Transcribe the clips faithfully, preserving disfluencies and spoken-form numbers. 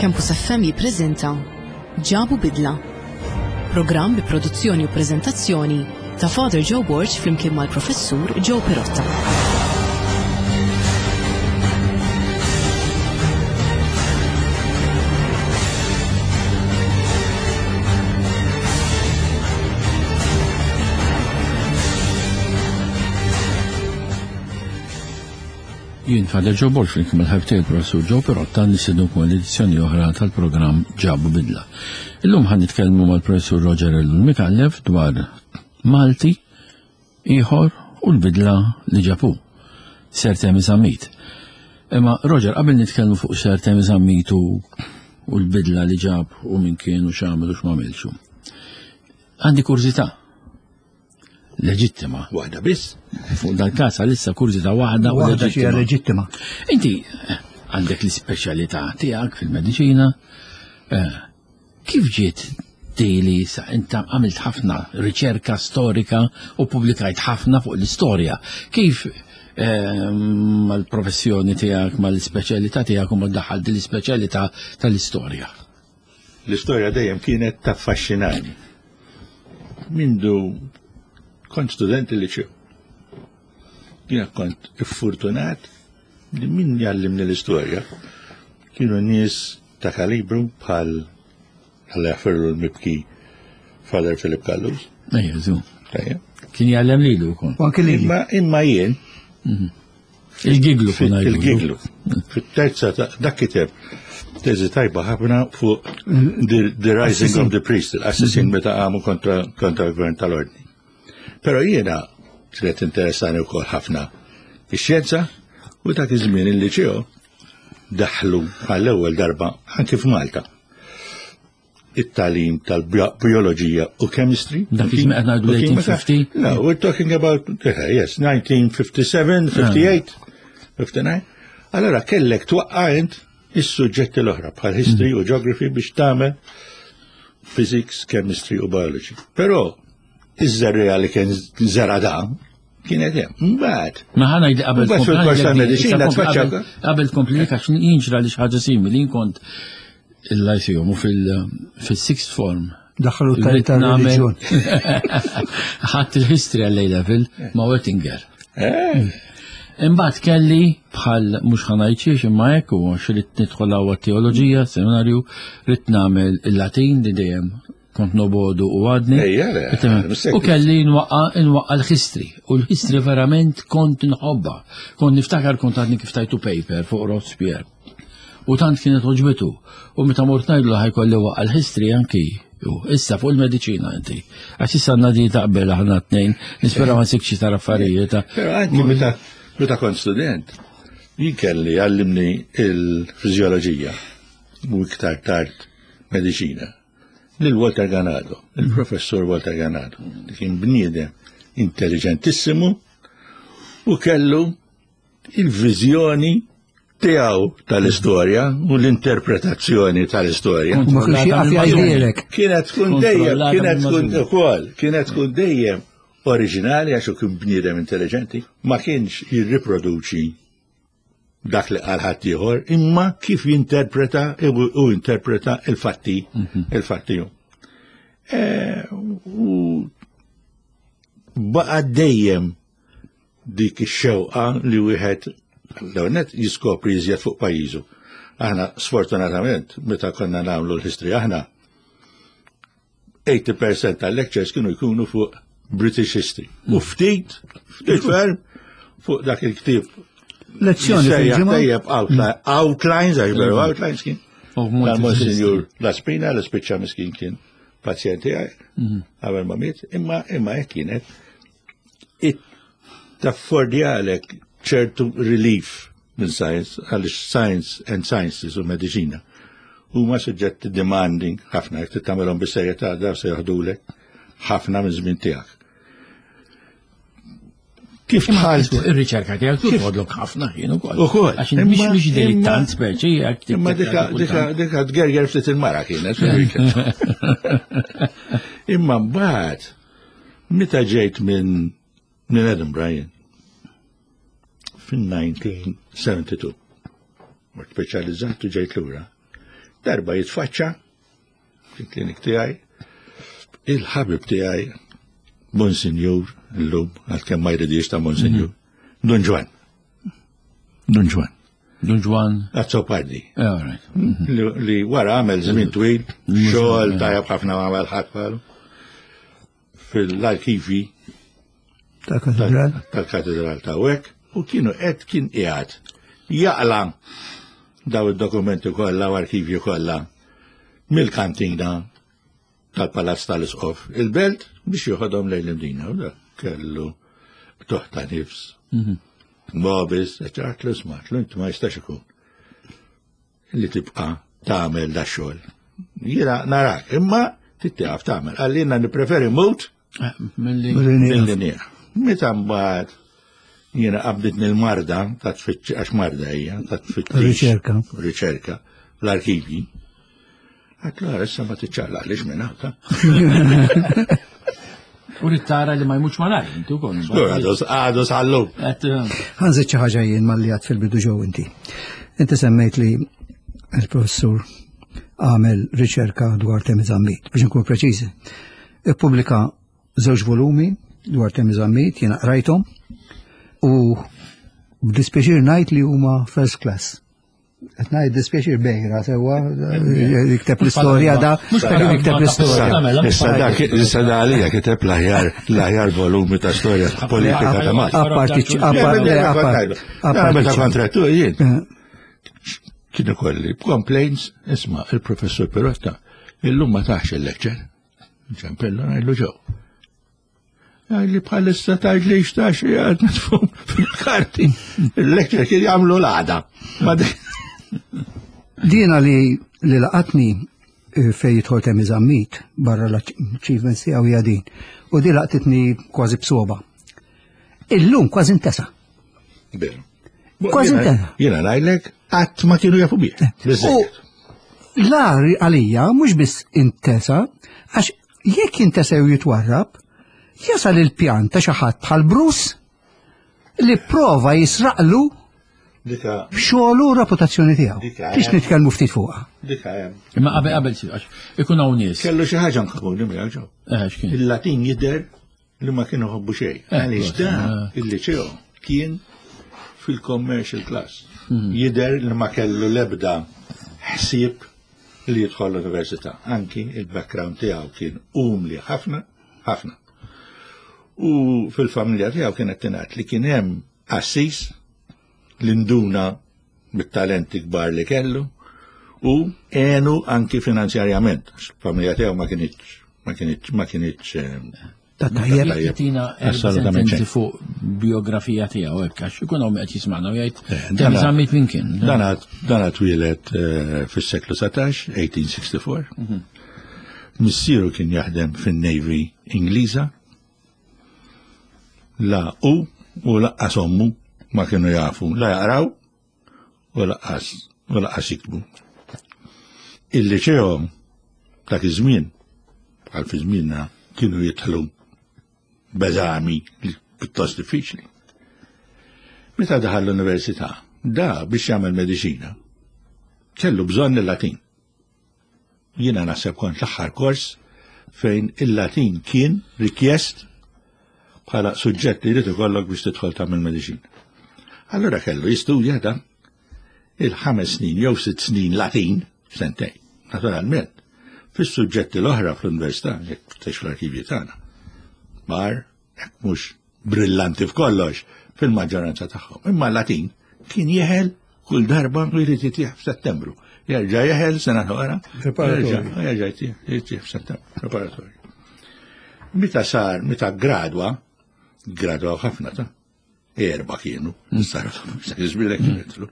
Campus F M jippreżenta Ġabu Bidla. Programm bi produzzjoni u preżentazzjoni ta' Father Joe Borg flimkien mal-Professur Joe Pirotta. Jien Father Joe Borg flimkien mal-ħabib tiegħi Professur Joe Pirotta nistednukom l-edizzjoni oħra tal-programm Ġabu Bidla. Illum ħa nitkellmu mal-Professur Roger Ellul Micallef dwar Malti ieħor u l-bidla li ġab hu, Sir Temi Zammit. Imma Roger, qabel nitkellmu fuq Sir Temi Zammit u u l-bidla li ġab u min kien u x'għamel u x'm'għamilx. Għandi kurżità leġittima. Waħda biss. Fuq dal-każ għalissa kurżità waħda u Waħda xi leġittima. Inti eh, għandek l-ispeċjalità tiegħek fil-mediċina. eh, Kif ġiet di sa inta għamilt ħafna riċerka storika u publikajt ħafna fuq l-istorja? Kif eh, mal-professjoni tiegħek, mal-ispeċjalità tiegħek u ma daħħal din l-ispeċjalità tal-istorja? L-istorja dejjem kienet taffaxxinani. Mindu kont student il-liċew. Jiena kont iffurtunat li min jgħallimni l-istorja kienu nies ta' kalibru bħal, Alla jaħfirlu, l-mibki Father Philip Callus. Ejja, zu. Ejja. Kien jgħallem lilu wkoll. U anke lili. Imma imma jien Il-giglu kun għajdu. Il-giglu. Fit-terza ta' dak kiteb teżi tajba ħafna fuq the, the Rising of the Priest, l-assassin meta għamu kontra kontra l-gvern tal-ordni. Però jiena kienet interessani wkoll ħafna ix-xjenza u dak iż-żmien il-liċeo daħlu għall-ewwel darba anke f'Malta it-tagħlim tal-bioloġija u chemistry. Dak iż-żmien qed ngħidu U kimika. eighteen fifty? No, we're talking about, eh, yes, nineteen fifty-seven, fifty-eight, fifty-nine. Allora kellek twaqqa' int is-suġġetti l-oħra bħal history u geography biex tagħmel physics, chemistry u biology. Però iż-żerriegħa li kien żera da kienet hemm. Mbagħad Ma ħa ngħid qabel Mbagħad fil-kors tal-mediċina tfaċċa- qabel tkompli, għax jinġra li xi ħaġa simili, jien kont il-Lyceum u fil-sixth form. Daħlu tal-reliġjon. Ħadd il-history għall level ma' Wettinger. Eh, Imbagħad kelli bħal mhux ħa ngħid imma hekk u għax ridt nidħol hawn teoloġija, seminarju, ridt nagħmel il-Latin li dejjem kont nobogħdu u għadni. Ejja, le, U kelli nwaqqa nwaqqa l-history. U l-history verament kont nħobba. Kont niftakar kont għadni kif tajtu paper fuq Robespierre. U tant kienet għoġbitu. U meta mort ngħidlu ħa jkolli nwaqqa' l-history anki. U issa fuq il-mediċina inti. Għax issa għandna di taqbel aħna tnejn, nispera ma nsibx tar affarijiet. Però anki meta meta kont student, jien kelli għallimni il-fiżjoloġija u iktar tard mediċina lil Walter Ganado, il-professur Walter Ganado, li kien bniedem intelligentissimu u kellu il-viżjoni tiegħu tal-istorja u l-interpretazzjoni tal-istorja. U ma kienx jaqaf jgħidilek. Kienet tkun dejjem, Kontrollata kienet tkun mill-mażun. ukoll, kienet tkun dejjem oriġinali għax hu kien bniedem intelligenti, ma kienx jirriproduċi dak li qal ħadd ieħor, imma kif jinterpreta u u interpreta il-fatti, il-fatti hu. Eh, U baqa' dejjem dik ix-xewqa li wieħed l-ewwel jiskopri iżjed fuq pajjiżu. Aħna sfortunatament meta konna nagħmlu l-history aħna eighty percent tal-lectures kienu jkunu fuq British history. U ftit, ftit ferm fuq dak il-ktieb Lezzjoni jissejjaħ fil-ġimgħa. tajjeb outli- outlines, għax veru outlines kien. Of Monte Tal-Monsignor Laspina, l spiċċa miskin kien pazjenti għaj, qabel ma miet, imma imma hekk kienet. It taffordjalek ċertu relief minn science, għaliex science and sciences u mediċina huma suġġetti demanding ħafna, jekk tagħmelhom bis-serjetà daw se joħdulek ħafna minn żmien tiegħek. Kif dħalt Ir-riċerka tiegħek tħodlok ħafna ħin ukoll. Ukoll. Għax mhix Imma- mhix dilettant speċi jekk Imma dika, dika, dika tgerger ftit il-mara kienet. Imma mbagħad meta ġejt minn minn Edinburgh jien, fin-nineteen seventy-two, mort speċjalizzat u ġejt lura, Darba jitfaċċa fil-klinik tiegħi il-ħabib tiegħi Monsinjur illum għalkemm ma jridix ta' Monsinjur, Dun Ġwann. Dun Ġwann. Dun Ġwann. Azzopardi. Eh, all right. Li li wara għamel żmien twil, xogħol tajjeb ħafna għamel ħadd bħalu. Fil-arkivi Tal-katedral. tal-katedral ta' hekk u kienu qed kien qiegħed jaqla daw id-dokumenti kollha u arkivju kollha mill-kantina tal-Palazz tal-Isqof il-belt biex joħodhom lejn l-Imdina. U dak kellu toħta nifs. Mobis, għedtlu isma', inti ma jistax ikun li tibqa tagħmel da xogħol. Jiena narak, imma tittieqaf tagħmel. Għallina nippreferi mmut Eh, Milli. milli nieqaf. Meta mbagħad jiena qabditni l-marda ta' tfittx għax marda hija ta' tfittix. Riċerka. Riċerka l-arkivi. Għedtlu issa ma tiċċaqlaqlix minn hawn ta' U rrid tara li ma jmutx malajr, inti wkoll. Għadu għadu sal-lum. Qed, eh, Ħa nżid xi ħaġa jien malli għedt fil-bidu ġew inti. Inti semmejt li il-professur għamel riċerka dwar Temi Zammit, biex nkun preċiżi. Ippubblika żewġ volumi dwar Temi Zammit, jiena qrajthom, u b'dispjaċir ngħid li huma first class. Qed ngħid dispjaċir bejra sewwa jikteb l-istorja da, Mhux jikteb l-istorja. Mela, Issa dak issa da għalija kiteb l-aħjar l-aħjar volumi ta' storja politika ta' Malta. Apparti, apparti, apparti, Meta kontrattu jien. Kienu kolli complaints, isma' il-professur Pirotta, illum ma tax il-lecture. Ċempellu ngħidlu ġew. Li bħalissa tgħid li xtax jgħad nitfum fil-karti. Il-lecture kien jagħmlu l-għada. Ma di- Dina li li laqatni eh, fej jidħol Temi Zammit barra l-achievements tiegħu hija din. U di laqtitni kważi b'sogħba. Illum kważi intesa. Veru. Kważi Jiena- intesa. Jiena ngħidlek qatt ma kienu jafu bih. U l-agħar għalija mhux biss intesa, għax jekk intesa jew jitwarrab, jasal il-pjan ta' xi ħadd bħal Bruce li prova jisraqlu Dika xogħlu u reputazzjoni tiegħu. Dika, Biex nitkellmu ftit fuqha. dika hemm. Imma qabel qabel si, għax ikun hawn nies. Kellu xi ħaġa nkomuni miegħu ġew. Eh, x'kien? Il-Latin jidher li ma kienu ħobbu xejn. Eh, Għaliex da eh. il-liceo kien fil-commercial class. Jidher li ma kellu lebda ħsieb li jidħol l-università. Anki il-background tiegħu kien umli ħafna, ħafna. U fil-familja tiegħu kienet tingħad li kien hemm assis li nduna bit-talenti kbar li kellu u għenu anki finanzjarjament. Għax il-familja tiegħu ma kienx ma kienx ma kienx eh, Ta' tajjeb. tajjeb. Tina erba' Assolutament sentenzi xejn. fuq biografija tiegħu hekk għax ikun hawn qed jisma'na u jgħid Eh, Temi dana- Zammit min kien. Dan dan twieled eh, fis-seklu satax, eighteen sixty-four. Missieru kien jaħdem fin-Navy Ingliża. La u u lanqas ommu ma kienu jafu la jaqraw u lanqas u lanqas jiktbu. Il-liċeo dak iż-żmien bħal fi żmienna kienu jidħlu b'eżami li pjuttost diffiċli. Meta daħal l-università, da biex jagħmel mediċina, kellu bżonn il-Latin. Jiena naħseb kont l-aħħar kors fejn il-Latin kien rikjest bħala suġġett li jrid ikollok biex tidħol tagħmel mediċina. Allura kellu jistudja da il-ħames snin jew sitt snin Latin sentejn, naturalment. Fis-suġġetti l-oħra fl-università, jekk tfittex fl-arkivji tagħna, bar, jekk mhux brillanti f'kollox, fil-maġġoranza tagħhom. Imma l-Latin kien jeħel kull darba u jrid jitih f'Settembru. Jerġa' jeħel sena oħra. Preparatorju. jerġa' jerġa' jtih jtih f'Settembru, preparatorju. Meta sar, meta gradwa, gradwa ħafna ta' erba kienu, sar żbilek kienu.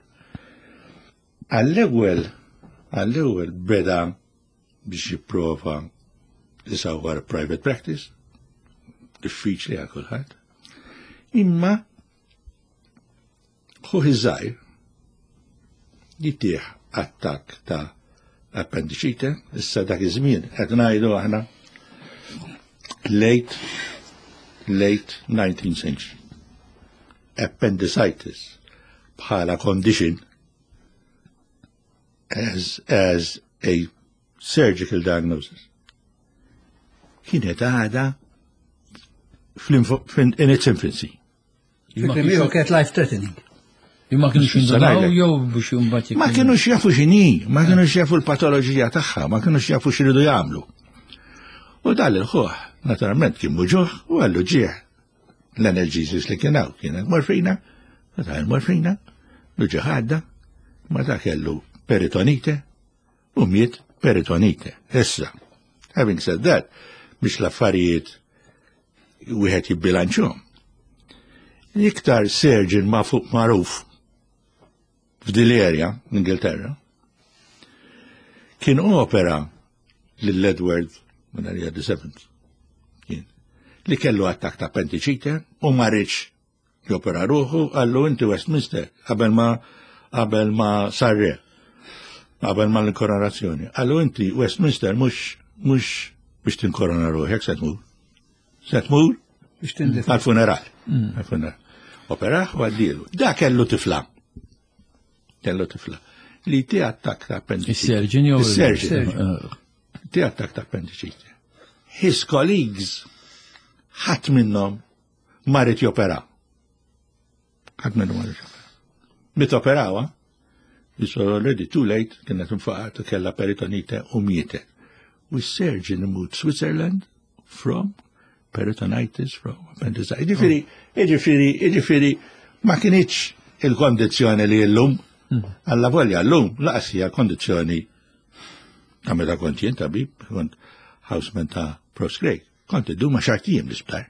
Għall-ewwel, għall-ewwel beda biex jipprova jisawwar private practice, diffiċli għal kulħadd. Imma ħuh iż-żgħir jitih attakk ta' appendicite, issa dak iż-żmien qed ngħidu aħna late late nineteenth century. Appendicitis bħala condition as, as a surgical diagnosis. Kienet għada in its infancy. Kienet life threatening. Ma kienux jindunaw jew biex imbagħad Ma kienux jafu x'inhi, ma kienux jafu l-patoloġija tagħha, ma kienux jafu x'iridu jagħmlu. U dal il-ħuħ, naturalment kien muġuħ u għallu ġieħ. L-analgesics li kien hawn kienet morfina, ta' morfina, l-ġieħ għadda, ma ta' kellu peritonite u miet peritonite. Issa, having said that, biex l-affarijiet wieħed jibbilanċhom. Iktar surgeon ma fuq magħruf f'dil area, l-Ingilterra, kien opera lil Edward minn the Seventh, kien, li kellu attak ta' appendicite u ma riedx jopera ruħu, qallu inti Westminster, qabel ma qabel ma sar re, qabel ma l-inkoronazzjoni. Qallu inti Westminster mhux mhux biex tinkorona ruħek se tmur. Se tmur Biex tindif. għal-funeral. Għal-funeral. Operaħ u għaddielu. Da kellu tifla. Kellu tifla. Li ti attak ta' appendicite. Is-surgeon jew Is-surgeon. Eh, Ti attak ta' appendicite. His colleagues ħadd minnhom ma ried jopera. Ħadd minnhom ma ried jopera. Meta operawa, it's already too late, kienet infaqat u kella peritonite u mietet. U s-surgeon imut Switzerland from peritonitis, from appendicitis. Ġifieri, ġifieri, ġifieri, ma kinitx il-kondizzjoni li l-lum, alla volja l-lum, lanqas hija kondizzjoni ta' meta kont jien tabib, kont houseman ta' Prof Craig, kont iddu ma għaxart ijiem l-isptar.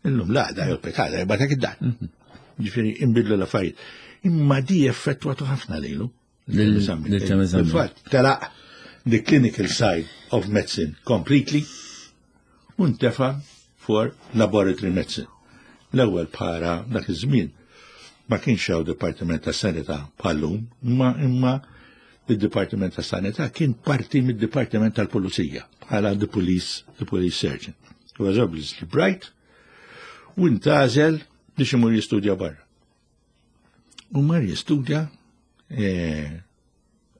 Illum l-għada, jew pitgħada, jibagħtek id-dar. Ġifieri, imbidlu l-affarijiet. Imma di effettwatu ħafna lilu. Lil- lil Temi Zammit. Fil-fatt, telaq the clinical side of medicine completely u ntefa for laboratory medicine. L-ewwel bħala dak iż-żmien ma kienx hawn Dipartiment ta' Sanità bħallum, imma imma id-Dipartiment ta' Sanità kien parti mid-Dipartiment tal-Pulizija bħala the police, the police surgeon. He was obviously bright u ntgħażel biex imur jistudja barra. U mar jistudja eh,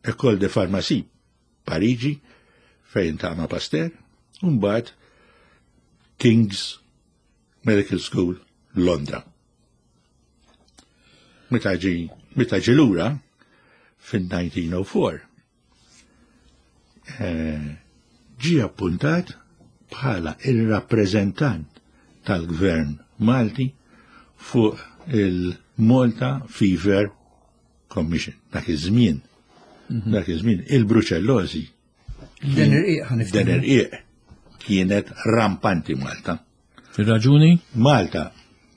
École de Pharmacie, Parigi, fejn ta' ma' Pasteur, u mbagħad King's Medical School, Londra. Meta ġi, meta ġi lura fin-elf disa' mija u erbgħa, eh, ġi appuntat bħala il-rappreżentant tal-gvern Malti fuq il-Malta Fever Commission. Dak iż-żmien, dak iż-żmien il-bruċellożi Den irqiq ħa niftiehmu. den irqiq kienet rampanti Malta. Ir-raġuni? Malta,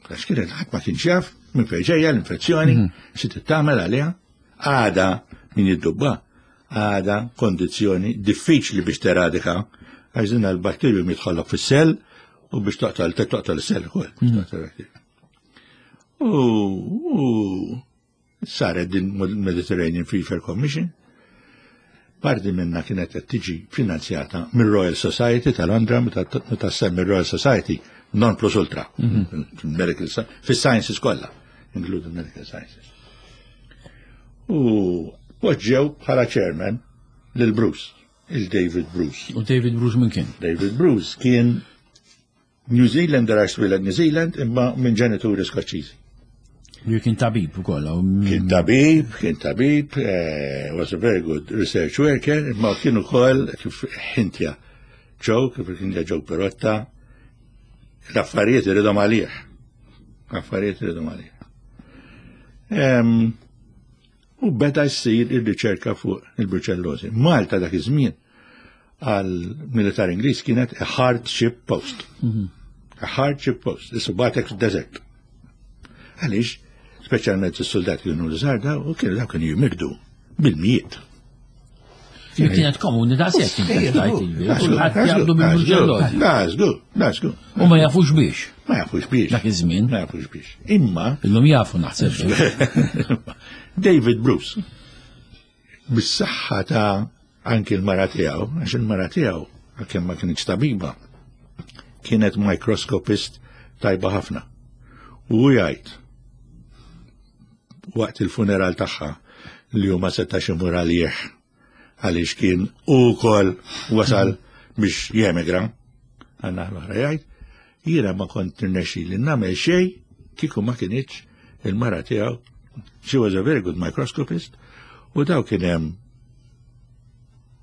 għax kienet ħadd ma kienx jaf minn fejn ġejja l-infezzjoni, xi tagħmel għaliha, għada min jiddubba, għada kondizzjoni diffiċli biex teradika, għax din l-batterju jidħollok fis-cell u biex toqtol toqtol is-cell ukoll. U u saret din Mediterranean Fever Commission, parti minna kienet qed tiġi finanzjata mir-Royal Society ta' Londra, meta meta semmi Royal Society, non plus ultra, medical fis-sciences kollha, including medical sciences. U poġġew bħala chairman lil Bruce, il-David Bruce. U David Bruce minn kien? David Bruce kien New Zealander għax twieled New Zealand imma minn ġenituri Skoċċiżi. Li kien tabib ukoll. u- Kien tabib, kien tabib, eh, was a very good research worker, imma kien ukoll kif ħintja Joe, kif ħintja Joe Pirotta, l-affarijiet iridhom għalih. L-affarijiet iridhom għalih. Em, U beda jsir ir-riċerka fuq il-bruċellosi. Malta dak iż-żmien għal militar Ingliż kienet a hardship post. A hardship post, issu bagħtek fid-desert. Għaliex, speċjalment is-soldati kienu l-żarda u kienu daw kienu jimirdu bil-mijiet. Li kienet komuni da' sekk Kulħadd jgħaddu bil-bruċellosi. That's good, that's good. U ma jafux biex. Ma jafux biex. Dak iż-żmien. Ma jafux biex. Imma Illum jafu naħseb. David Bruce, bis-saħħa ta' anki l-mara tiegħu, għax il-mara tiegħu għalkemm ma kienx tabiba, kienet microscopist tajba ħafna. U jgħid waqt il-funeral tagħha li huma setax imur għalih għaliex kien ukoll wasal biex jemigra, għanna l-oħra jgħid, jiena ma kont nirnexxi li nagħmel xejn kieku ma kinitx il-mara tiegħu. She was a very good microscopist, u daw kien hemm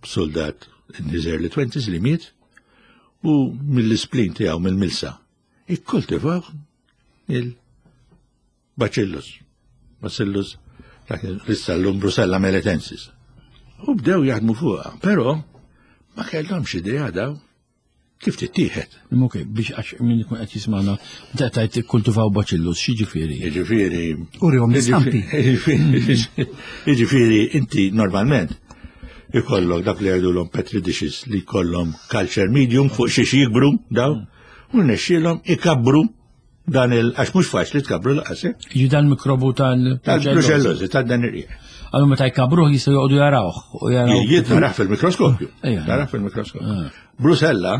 soldat in his early twenties li miet u mill-spleen tiegħu, mill-milsa, ikkultivaw il-bacillus. Bacillus, issa l-lum Brucella melitensis. U bdew jaħdmu fuqha, però ma kellhomx idea daw kif tittieħed. Ok, biex għax min ikun qed jismagħna, meta tajt ikkultivaw bacillus, x'jiġifieri? Jiġifieri. Urihom l-istampi. Jiġifieri inti normalment ikollok dak li jgħidulhom petri dishes li jkollhom culture medium fuq xiex jikbru daw, u nexxielhom ikabbru dan il għax mhux faċli tkabru laqas. eh? Jiġi dan mikrobu tal- Tal-brucellosi, tal-dan ir Għallu meta jkabruh jistgħu joqogħdu jarawh u jaraw. Jien tarah fil-mikroskopju. Ejja. Tarah fil-mikroskopju. Brucella,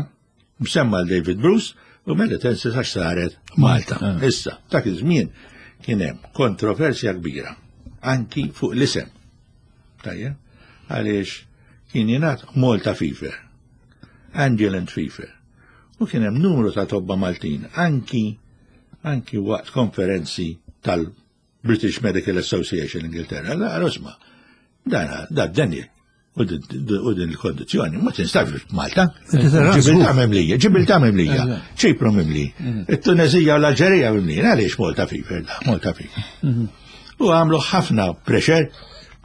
msemma l-David Bruce, u melitensis għax saret Malta. Ah. Issa, dak iż-żmien kien hemm kontroversja kbira anki fuq l-isem. Tajjeb, għaliex kien jingħad Malta Fever, Angelant Fever. U kien hemm numru ta' tobba Maltin anki anki waqt konferenzi tal-British Medical Association Ingilterra. La, rosma, dan da Daniel u din u din il-kondizjoni ma tinstabx f'Malta. Inti tara Ġibilta żgur. mimlija, Ġibilta mimlija, Ċipru mimli, it-Tunezija u l-Alġerija mimlija, għaliex Malta Fever, da, Malta Fever. U għamlu ħafna pressure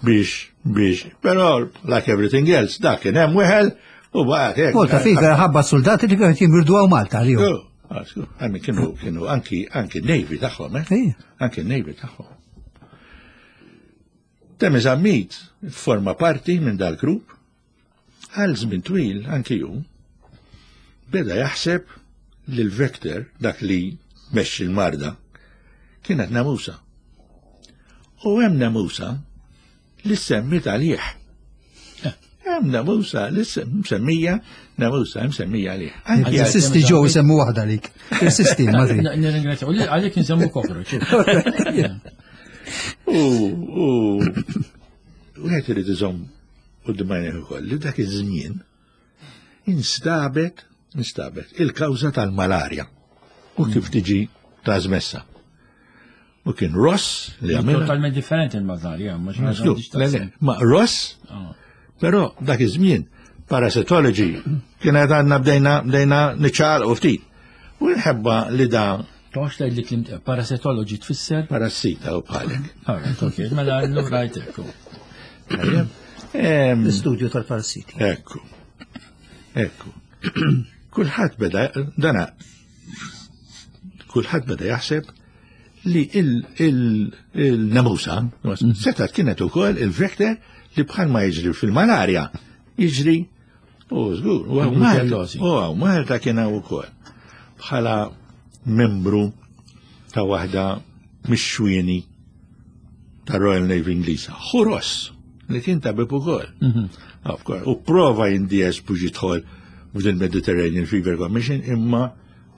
biex, biex, però like everything else, dak kien hemm weħel u baqgħet hekk. Malta Fever ħabba soldati li kienu jimirdu għaw Malta li Oh, Għammi kienu, kienu anki, anki Navy tagħhom, eh? Ejja. Anki Navy tagħhom. Temi Zammit forma parti minn dal-grupp, għal żmien twil anki ju, beda jaħseb li l-vector, dak li mexxi l-marda, kienet namusa. U hemm namusa li semmit għalih. Hemm namusa li semmija namusa msemmija għalih. Anki għal- Insisti ġew semmu waħda lik. Insisti, Madrid. Nirringrazzja. U li- Għalik nsemmu cockroach. U u wieħed irid iżomm quddiem għajnejh ukoll li dak iż-żmien instabet instabet il-kawża tal-malarja u kif tiġi trasmessa. U kien Ross li għamilha. Totalment differenti il-malarja, ma xi ħaġa Żgur, m'għandix le, le, taqsam. Ma Ross, Ah. però dak iż-żmien parasitology kienet għandna bdejna bdejna niċċaqalqu ftit. U nħebba li da Toħx tgħid li klim parasitology tfisser? parassita u bħalek. Alright, ok, mela allura ekku. Tajjeb? Em, L-istudju tal-parassiti. Ekku. Ekku. Kulħadd beda dana kulħadd beda jaħseb li il-namusa setat kienet ukoll il-vector li bħal ma jiġri fil-malarja jiġri u żgur u hawn Malta Brucellosi. u hawn Malta kien hawn ukoll bħala membru ta' waħda mix-xwieni ta' Royal Navy Ingliża. Ħuros li kien tabib ukoll. Of course. U prova jindies biex jidħol f'din Mediterranean Fever Commission imma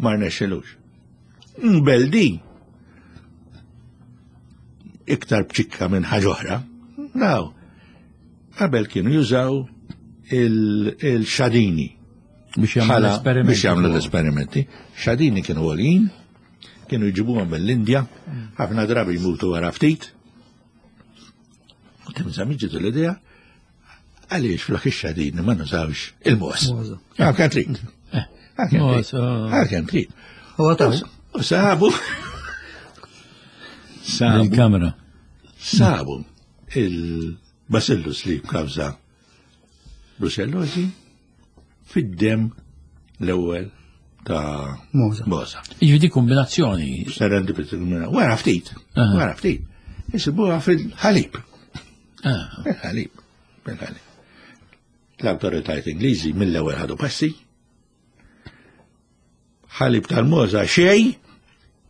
ma rnexxilux. Mbeldi iktar bċikka minn ħaġa oħra. Daw, qabel kienu jużaw il- il-xadini Biex jagħmlu bħala- l-esperimenti. biex jagħmlu l-esperimenti. Xadini kienu għolin, kienu jġibuhom mill-Indja, ħafna drabi jmutu wara ftit. U Temi Zammit ġitu l-idea, għaliex flok ix-xadini ma nużawx il-mogħoż. Mogħoż. Għal kemm trid. Għal kemm Mogħoż, trid. ah. Għal kemm trid. U għataw. U sabu. Sabu. Il-kamera. Sabu il-bacillus li kawża brucellosi fid-dem l-ewwel ta' Mogħża. Mogħża. Jiġi di kombinazzjoni. Serendipity. Wara ftit, Aha. wara ftit. Isibuha fil-ħalib. Ah, Fil-ħalib. Fil-ħalib. L-autoritajiet Ingliżi mill-ewwel ħadu passi. Ħalib tal-mogħża xej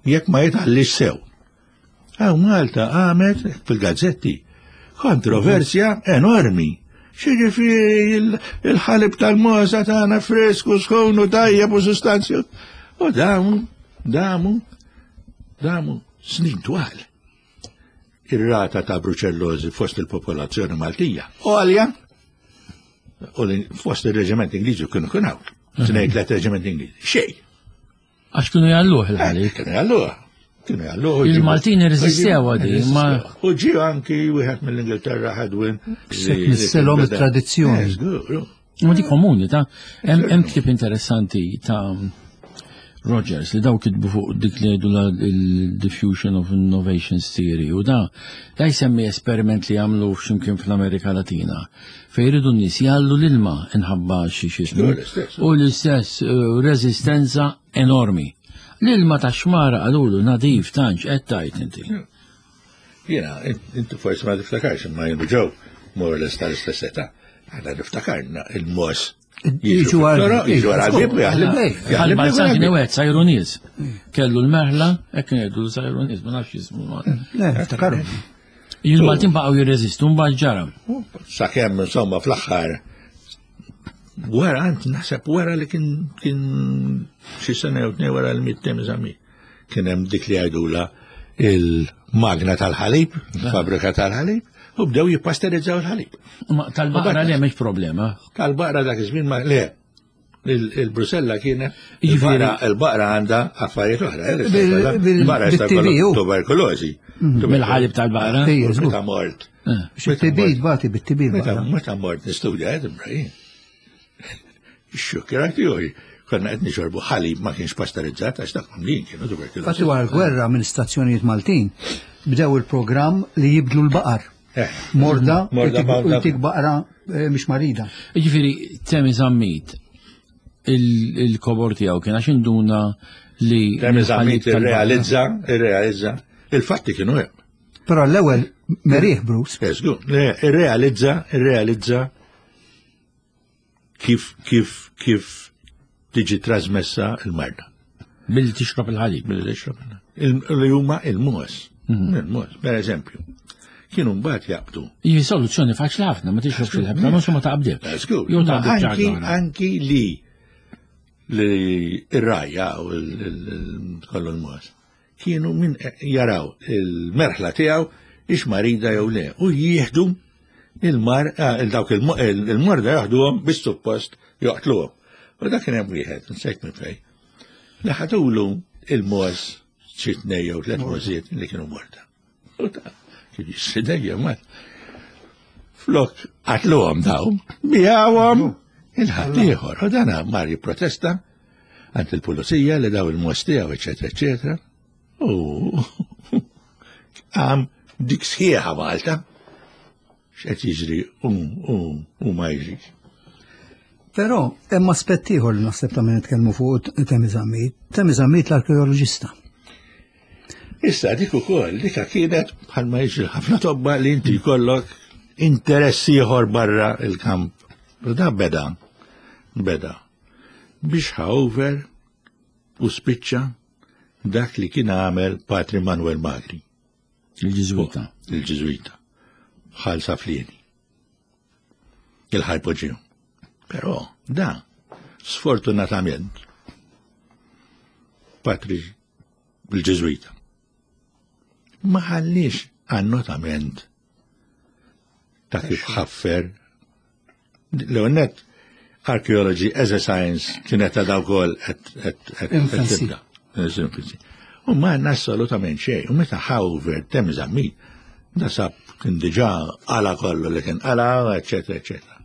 jekk ma jitħallix sew. Għaw Malta għamet fil-gazzetti kontroversja enormi. X'jiġifieri il- il-ħalib tal-mogħża tagħna fresku, sħun u tajjeb u sustanzju. U damu, damu, damu snin twal. Ir-rata ta' bruċellożi fost il-popolazzjoni Maltija. Għolja, U fost il-reġiment Ingliżi kienu kienu hawn. Tnejn tliet reġiment Ingliżi. Xejn. Għax kienu jgħalluh il-ħalib. Kienu jgħalluh. Kienu jgħalluh. Il-Maltin irreżistew għadi, ma. U ġie anki wieħed mill-Ingilterra Hadwin. Nisselhom it-tradizzjoni. Ma di komuni ta' hemm ktieb interessanti ta' Rogers li daw kitbu fuq dik li jgħidu il-diffusion of innovations theory u da da jsemmi esperiment li għamlu f'ximkien fl-Amerika Latina fejn jridu n-nies jgħallu l-ilma inħabba xi xismu u l-istess reżistenza enormi. L-ilma ta' xmara qalulu nadif tantx qed tajt inti. Jiena, inti forsi ma tiftakarx imma jien ġew more or less tal-istess età. Aħna niftakarna il-mos Jiġu għal jiġu għal bib Għal Balzan kien wieħed sajru nies. Kellu l-merħla, hekk ngħidu sajru nies, ma nafx jismu. Le, niftakaru. Il-Maltin baqgħu jirreżistu mbagħad ġara. Sakemm insomma fl-aħħar wara ant naħseb wara li kien kien xi sena jew tnejn wara l-miet Temi Zammit. Kien hemm dik li jgħidula il-magna tal-ħalib, il-fabrika tal-ħalib, u bdew jippasterizzaw il-ħalib. Ma tal-baqra le mhix problema. Tal-baqra dak iż-żmien ma le. Il-Brusella kienet Jiġifieri- il-baqra għandha affarijiet oħra. Bil- Il-baqra jista' bil-T B, jkollha u. tuberkulożi. Mill-ħalib tal-baqra. Ejja, żgur. Meta mort. Biex it-T B tbati bit-T B Meta l-baqra. meta mort nistudja Edinburgh. Xukkirat juhi. Konna qed nixorbu ħalib ma kienx pasterizzat għax dak mimlin kienu tuberkulożi. Fatti wara l-gwerra minn stazzjonijiet Maltin bdew il-programm li jibdlu l-baqar. Eh. Morda, Morda, u morda. jtik baqra eh, mhix marida. Jiġifieri Temi Zammit il- il-kobor tiegħu kien għax induna li Temi Zammit il-ħalib tal-baqra- irrealizza, irrealizza, il-fatti kienu hemm. Però l-ewwel merih Bruce. Eh, żgur, le, irrealizza, irrealizza kif kif kif tiġi trasmessa il-marda. Billi tixrob il-ħalib. Billi tixrob il- Li huma il-mos. Il-mos, per eżempju. Kienu mbagħad jaqbdu. Hi soluzzjoni faċli ħafna, ma tixrobx il-ħalib, ma ma taqbdek. Eh, żgur. Jew taqbdek Anki ċaġa. anki li li ir-rajja u l- l- l- kollu l-mos kienu min jaraw il-merħla tiegħu ix marida jew le u jieħdu il-mar ah, il-dawk il- il-morda jaħduhom bis-suppost joqtluhom. U dak kien hemm wieħed, nsejt minn fejn. Li ħadulu il-mos xi tnejn jew tliet mosiet li kienu morda. U ta' kien jissidejja ma. Flok qatluhom daw, bijawhom il-ħaddieħor. U dana mar jipprotesta għand il-pulizija li daw il-mos tiegħu, eċetera, eċetera. U għam dik sħiħa Malta. X'qed jiġri u u u ma jiġrix. Però hemm aspett ieħor li naħseb ta' min nitkellmu fuq Temi Zammit. Temi Zammit l-arkeoloġista. Issa dik ukoll dika kienet bħalma jiġri ħafna tobba li inti jkollok interess ieħor barra il-kamp. U da beda, beda biex ħa over u spiċċa dak li kien għamel Patri Manuel Magri, Il-Ġiżwita. il-Ġiżwita, Ħal Saflieni, il-Hypogeum. Però da, sfortunatament, Patri il-Ġiżwita, ma ħallix annotament ta' kif ħaffer l-net archaeology as a science kienet ta' daw kol Infancy. tibda. Infancy. U ma għanna assolutament xejn. U meta ħa over Temi Zammit, da sab kien diġà għala kollu li kien għala, eccetera, eccetera.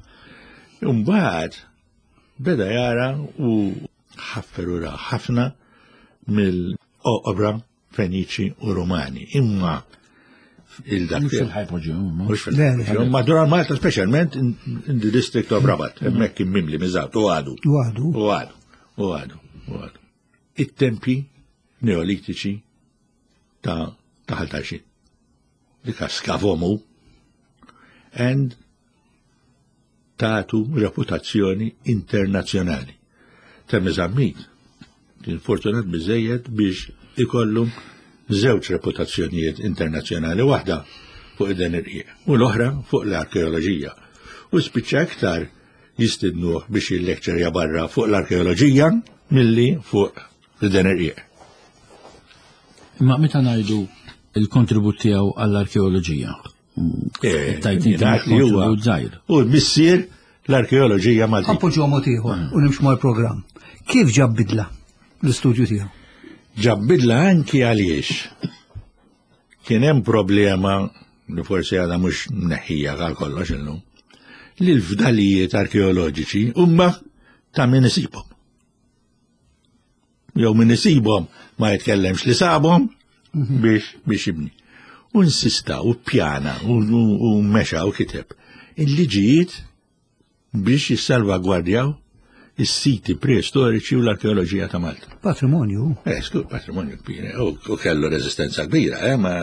Umbagħad beda jara u ħaffer u ra ħafna mill-oqbra Feniċi u Rumani. Imma il-dak Mhux fil-Hypogeum. ma. Mhux fil-Hypogeum, madwar Malta specialment in, in the district of Rabat, hemmhekk kien mimli miżat u għadu. U għadu. U għadu, u għadu, u għadu. It-tempi neolitiċi ta' ta' Ħal Tarxien. Dika skavomu and tatu reputazzjoni internazzjonali. Temi Zammit kien fortunat biżejjed biex ikollu żewġ reputazzjonijiet internazzjonali, waħda fuq id-den irqiq u l-oħra fuq l-arkeoloġija. U spiċċa iktar jistidnuh biex jillekċerja barra fuq l-arkeoloġija milli fuq id-den irqiq. Imma meta ngħidu il-kontribut tiegħu għall-arkeoloġija. Eh, Tajt inti jingħad li huwa- kontribut żgħir. U l-missier l-arkeoloġija Maltija. Appoġġu mod ieħor u nimxu mal-programm. Kif ġab bidla l-istudju tiegħu? Ġab bidla anki għaliex kien hemm problema li forsi għadha mhux mneħħija għal kollox illum, li l-fdalijiet arkeoloġiċi huma ta' min isibhom. Jew min isibhom ma jitkellemx li sabhom biex biex jibni. U insista u pjana u, u, u mexa u kiteb il-liġijiet biex jissalvagwardjaw is-siti preistoriċi u l-arkeoloġija ta' Malta. Patrimonju. Eh, skur patrimonju kbir, eh, u u kellu reżistenza kbira, eh, ma.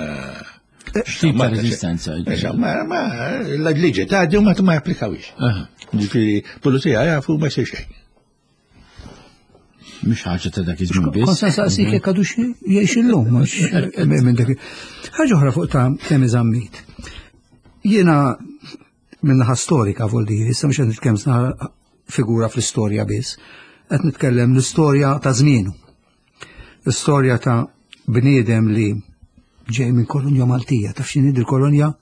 X'tip ta' reżistenza? Eh, Ma, ma, l-liġi ta' u ma ma japplikawix. Aha. Ġifieri, pulizija jafu ma jsir xejn. Mhux ħaġa ta' dak iż-żmien biss. Kont se nsaqsik jekk għadux jgħix illum, mhux minn dak. Ħaġa oħra fuq ta' Temi Zammit. Jiena min-naħa storika vuol dire, issa mhux qed nitkellem sna figura fl-istorja biss, qed nitkellem l-istorja ta' żmienu. L-istorja ta' bniedem li ġej minn kolonja Maltija, taf x'inhi il-kolonja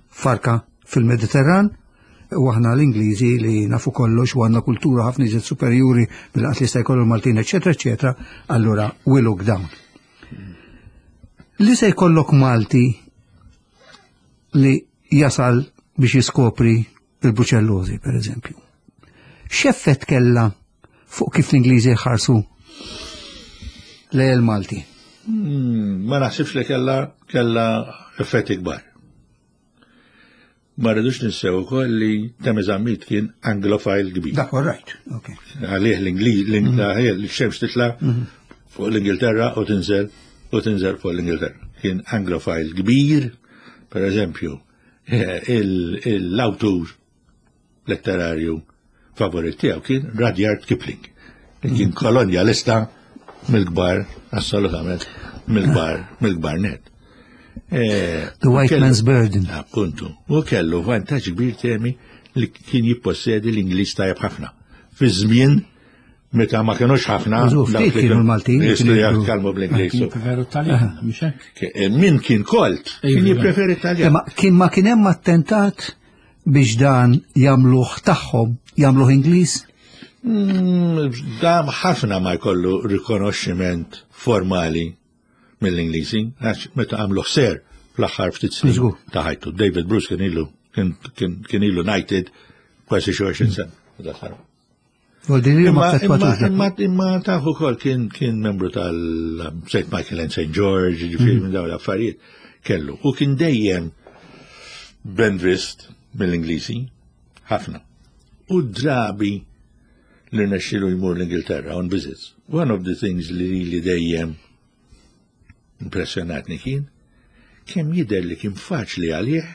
farka fil-Mediterran, u aħna l-Ingliżi li nafu kollox u għandna kultura ħafna iżjed superjuri mill-qatt li jista' jkollu l-Maltin, eċetera, eċetera, allura we look down. Li se jkollok Malti li jasal biex jiskopri il-bruċellozi, per eżempju. X'effett kella fuq kif l-Ingliżi jħarsu lejn il-Malti? Hmm, Ma naħsibx li kella kella effetti kbar. Ma rridux ninsew ukoll li Temi Zammit kien anglofile kbir. Dak all right, ok. Għalih l-Ingliż, l-xemx titla fuq l-Ingilterra u tinżel u tinżel fuq l-Ingilterra. Kien anglofile kbir, per eżempju, l-awtur letterarju favorit tiegħu kien Rudyard Kipling. Li kien kolonjalista mill-kbar, assolutament, mill-kbar, mill-kbar net. Eh, The White kellu- Man's Burden. Appuntu. U kellu vantaġġ kbir temi li kien jippossedi l-Ingliż tajjeb ħafna. Fi żmien meta ma kienux ħafna. Użu, dawk ftit li kienu l-Maltin li Jistgħu kienu jgħidu- jitkellmu bl-Ingliż. Kien preferu Taljan, mhux hekk? Ke- Min kien kolt, kien Iva. jippreferi Taljan. Imma kien ma kien hemm attentat biex dan jagħmluh tagħhom, jagħmluh Ingliż? Mm, Dam ħafna ma jkollu rikonoxximent formali mill-Ingliżi, għax meta għamlu sir fl-aħħar ftit snin Żgur. ta' ħajtu. David Bruce kien ilu kien- kien kien ilu knighted kważi xi għoxrin sena. Dak Vuol dire li ma Imma, imma, effettwatux dak. imma, imma tafu kol kien, kien membru tal-Saint Michael and Saint George, ġifieri minn dawn l-affarijiet, kellu. U kien dejjem benvist mill-Ingliżi, ħafna. U drabi li rnexxielu jmur l-Ingilterra on visits. One of the things li li dejjem impressjonatni kien, kemm jidher li kien faċli għalih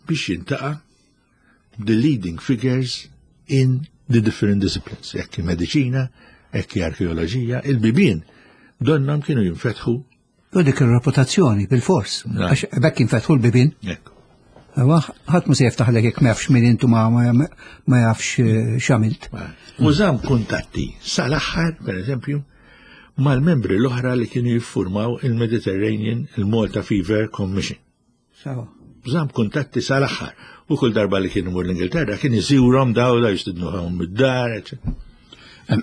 biex jiltaqa' the leading figures in the different disciplines, jekk mediċina, jekk arkeoloġija, il-bibien, donnhom kienu jinfetħu. U dik ir-reputazzjoni bil-fors. Na. Għax bekk jinfetħu l-bibien. Ekku. Ewa, ħadd mu se jiftaħlek jekk ma jafx min intu ma ma ma jafx eh, x'għamilt. U żamm kuntatti sal-aħħar, per eżempju, mal-membri l-oħra li kienu jiffurmaw il-Mediterranean, il-Malta Fever Commission. Sawa. Żamm kuntatti sal-aħħar. U kull darba li kienu mur l-Ingilterra kien iżurhom daw da jistidnuhom id-dar, eccetera. Em,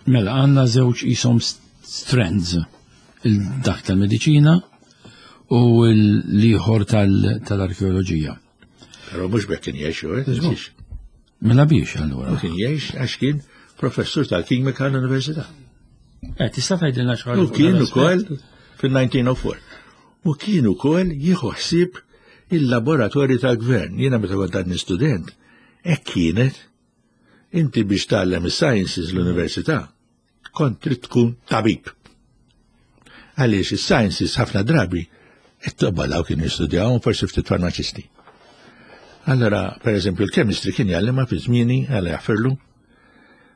Mela, għandna żewġ isom strands, il-dak tal-mediċina u l-ieħor tal-arkeoloġija. Però mhux bekk kien jgħix, eh, tinsiex. Mela biex allura. U kien jgħix għax kien professur tal-kimika l-Università. Eh, tista' tgħidilna xi ħaġa U fuq kien dan ukoll l-aspett? fil-elf disa' mija u erbgħa. U kien ukoll jieħu ħsieb il-laboratorju tal-gvern. Jiena meta kont għadni student, hekk kienet inti biex tgħallem is-sciences l-università, kont trid tkun tabib. Għaliex is-sciences ħafna drabi it-tobba daw kienu jistudjaw forsi ftit farmaċisti. Allora, per eżempju, il-chemistry kien jgħallimha fi żmieni għala jaffirlu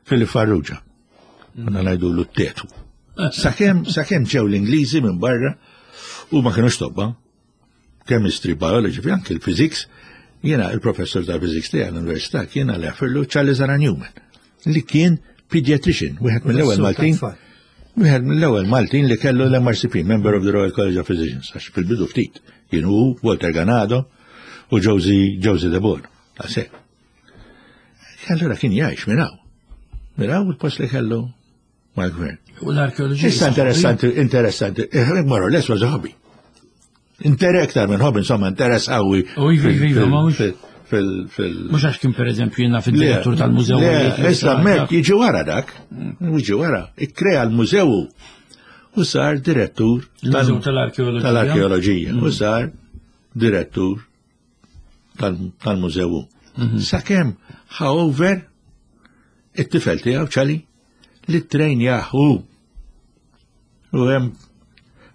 Philip Farrugia. Konna ngħidu l-tetu. Sakemm sakemm ġew l-Ingliżi minn barra u ma kienux tobba, chemistry, biology, fi anke l-physics, jiena il-professor tal-physics tiegħi l-università kien għal jaffirlu Charles Aran Newman, li kien pediatrician, wieħed mill-ewwel Professur Maltin, tat-tfal. wieħed mill-ewwel Maltin li kellu l-M R C P, Member of the Royal College of Physicians, għax fil-bidu ftit, kien hu Walter Ganado u Josie Josie de Boer. Għasek. Allura kien jgħix minn hawn. Minn hawn il-post li kellu mal-gvern. U l-arkeoloġija. Issa interessanti, interessanti. Eh, more or less was a hobby. Inter iktar minn hobby, insomma, interess qawwi. U iva, iva, iva, ma mhux- Fil- fil- fil- Mhux għax kien pereżempju jiena fid-direttur tal-mużew. Le, issa mek jiġi wara dak, jiġi wara, ikkrea l-mużew u sar direttur Il-Mużew tal-Arkeoloġija. tal-Arkeoloġija u sar direttur tal- tal-mużew. Sakemm ħa over it-tifel tiegħu Charlie li ttrejnjah. U hemm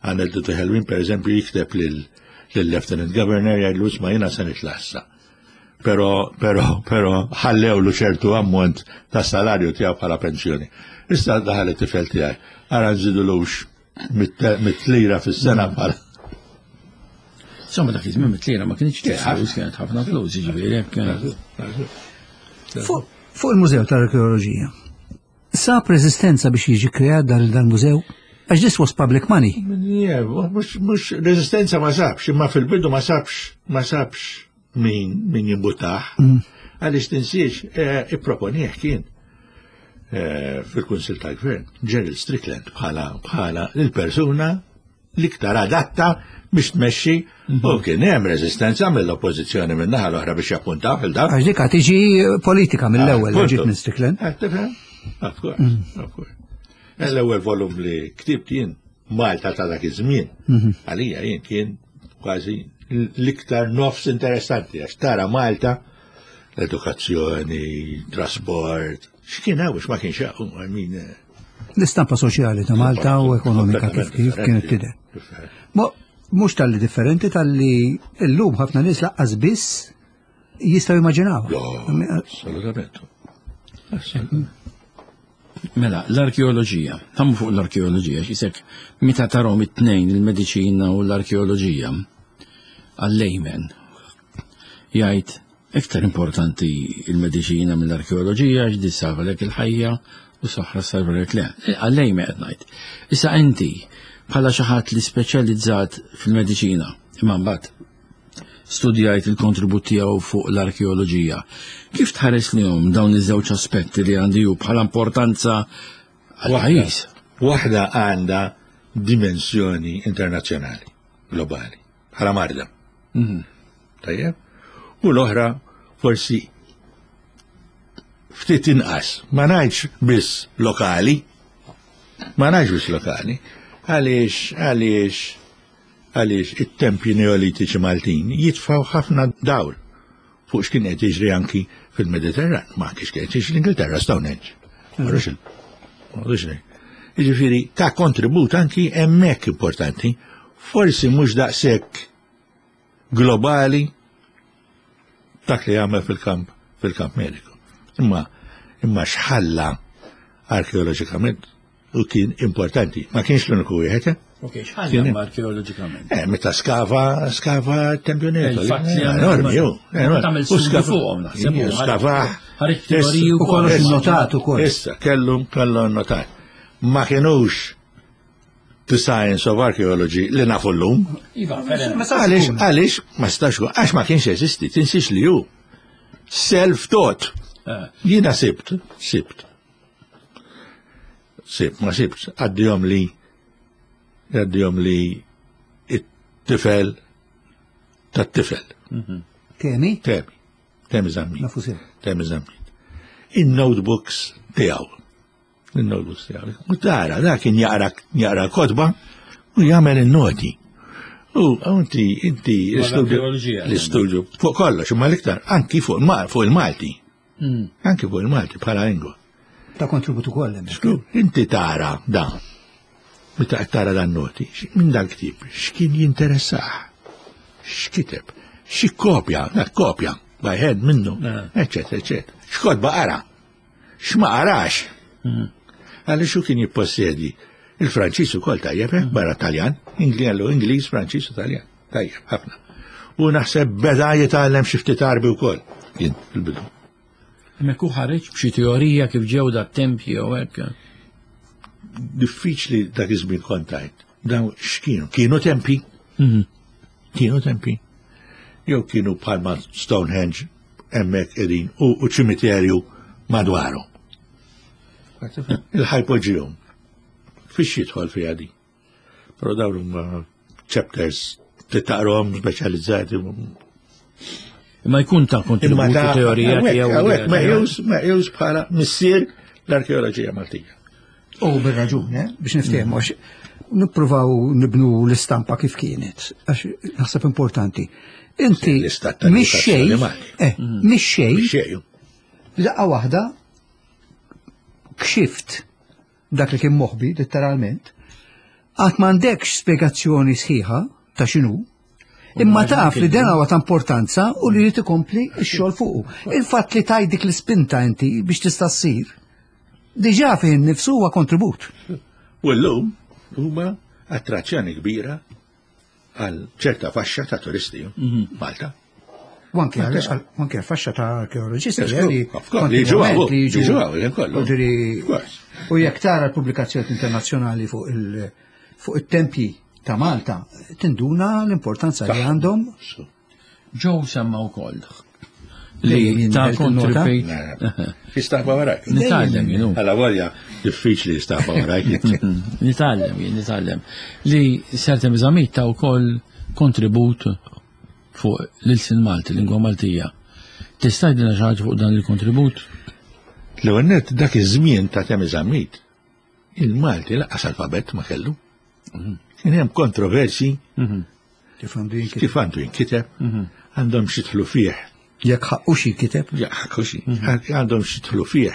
aneddotu ħelwin, per eżempju, jikteb lil lill-Lieutenant Governor, jgħidlu, "Isma', jiena se nitlaq issa. Pero, pero, pero, ħallewlu ċertu ammont ta' salarju tiegħu bħala pensjoni. Issa daħal it-tifel tiegħi, ara nżidulux mitt lira fis-sena bħala." Insomma, dak iż-żmien mitt lira ma kienx flus, kienet ħafna flus, jiġifieri hekk. Fuq fuq il-Mużew tal-Arkeoloġija. Sab rezistenza biex jiġi kreat dal dal-mużew? Għax this was public money. Yeah, mhux mhux rezistenza ma sabx, imma fil-bidu ma sabx, ma sabx min min jimbuttah. Għaliex tinsiex, eh, ipproponih kien eh, fil-Kunsil tal-Gvern, Gerald Strickland, bħala bħala il-persuna l-iktar adatta biex tmexxi, u kien hemm rezistenza mill-oppożizzjoni minn naħa l-oħra biex jappuntaw fil-dak. Għax dik tiġi politika mill-ewwel li Ah, ġiet minn Strickland. Eh, tifhem? Of course, of course. L-ewwel volum li ktibt jien, Malta ta' dak iż-żmien, għalija jien kien kważi l-iktar nofs interessanti, għax tara Malta, l-edukazzjoni, trasport, x'kien hawn, x'ma kienx hawn, I mean, eh, L-istampa soċjali ta' Malta u ekonomika kif kif kienet tidher. Differenti. Ma mhux tal-li differenti tal-li llum ħafna nies lanqas biss jistgħu jimmaġinaw. Jo, assolutament. Assolutament. Mela, l-arkeoloġija, ħammu fuq l-arkeoloġija, xisek, meta tarahom it-tnejn, il-mediċina u l-arkeoloġija, għal-layman, jgħid iktar importanti il-mediċina mill-arkeoloġija, għax di salvalek il-ħajja u saħħa salvalek le. Għal-layman qed ngħid. Issa inti, bħala xi ħadd li speċjalizzat fil-mediċina, imma mbagħad studjajt il-kontribut tiegħu fuq l-arkeoloġija. Kif tħares lejhom dawn iż-żewġ aspetti li għandi ju bħala importanza għal-pajjiż? Waħda għandha dimensjoni internazzjonali, globali, bħala marda. Tajjeb? U l-oħra forsi ftit inqas, ma ngħidx biss lokali, ma ngħidx biss lokali, għaliex għaliex għaliex it-tempji neolitiċi Maltin jitfaw ħafna dawl fuq x'kien qed jiġri anki fil-Mediterran, ma kienx qed jiġri l-Ingilterra, Stonehenge. Marrux il- marrux il- Jiġifieri ta' kontribut anki hemmhekk importanti, forsi mhux daqshekk globali dak li għamel fil-kamp fil-kamp mediku. Imma imma x'ħalla arkeoloġikament u kien importanti. Ma kienx l-uniku wieħed, eh? Ok, x'ħalla arkeoloġikament? Eh, meta skava, skava tempju Neto. Il-fatt li għamel- Enormi, ju. Meta tagħmel U studju skava- fuqhom, naħseb, Iju, u skava. ħareġ teoriji U kollox Issa, notat ukoll. Issa, kellu, kellu notat. Ma kienux the science of archaeology li nafu l-lum. Iva, fair enough. Għalix, għalix, ma stax, għax ma kienx jeżisti, tinsix li ju. Self-taught. Eh, Jiena sibt, sibt. Sibt, ma sibt, għaddihom li, għaddihom li it-tifel tat-tifel. Temi? Temi, Temi Zammit. Nafu sew. Temi Zammit. In-notebooks tiegħu. Il-notebooks tiegħu. U tara, da kien jaqra jaqra kotba u jagħmel in-noti. U inti, inti, l-istudju, l-arkeoloġija. l-istudju, fuq kollox, imma l-iktar, anki fuq il- fuq il-Malti. mm. Anki fuq il-Malti bħala lingwa. Ta' kontribut ukoll hemmhekk. Skur, inti tara da, meta qed tara dan noti, minn dan ktib, x'kien jinteressah, x'kiteb, xi kopja, dak kopja, by hand minnu, Eh. eccetera, eccetera. X'kotba qara, x'ma qarax. Għaliex hu kien jippossedi il-Franċiż ukoll tajjeb, eh, barra Taljan, Ingli- Ingliż, Franċiż u Taljan, tajjeb, ħafna. U naħseb beda jitgħallem xi ftit Għarbi wkoll, kien fil-bidu. Hemmhekk hu ħareġ b'xi teorija kif ġew da tempji jew hekk. Diffiċli dak iż-żmien kontajt. Dawn x'kienu? Kienu tempi? Kienu tempi. Jew kienu bħalma Stonehenge hemmhekk qegħdin u, u ċimiterju Madwaru. Il-hypogeum. Fiex jidħol fiha di. Però dawn huma chapters titaqrom speċjalizzati. Imma jkun ta' kontribut teorija tiegħu. Hawnhekk meqjus meqjus bħala missier l-arkeoloġija Maltija. U bir-raġun, eh, biex niftehmu, għax nippruvaw nibnu l-istampa kif kienet, għax naħseb importanti. Inti L-istat ta' mix xejn, Malti. eh, mix xejn, Xejn. laqqa waħda kxift dak li kien moħbi, letteralment, għad m'għandekx spiegazzjoni sħiħa ta' x'inhu, imma taf li dan huwa ta' importanza u li jrid ikompli x-xogħol fuqu. Il-fatt li taj dik l-ispinta inti biex tista' ssir, diġà fih innifsu huwa kontribut. U llum huma attrazzjoni kbira għal ċerta faxxa ta' turisti Malta. U anke għal u anke għal faxxa ta' arkeoloġisti Yes, eh, li of course, li jiġu għaw, li jiġu jiġu għaw, jien kollu. Ġifieri- Of course. U jekk tara l-pubblikazzjoni internazzjonali fuq il- fuq it-tempji ta' Malta, tinduna l-importanza li għandhom. Joe semma wkoll. Dejjem Li ta' jien nota. kontribut. Jistaħba warajk. Nitgħallem jien. Għalla volja diffiċli jistaħba warajk. Nitgħallem jien, nitgħallem. Li Sir Temi Zammit ta' wkoll kontribut fuq l-ilsien Malti, lingwa Maltija. Tista' tgħidilna xi ħaġa fuq dan il-kontribut? L-ewwel nett dak iż-żmien ta' Temi Zammit, il-Malti lanqas alfabett ma kellu. Kien hemm kontroversi Kif għandu jinkiteb. kif għandu jinkiteb, għandhom xidħlu fih. Jekk ħaqqu xi kiteb. Ja, ħakkuxi, għandhom xidħlu fih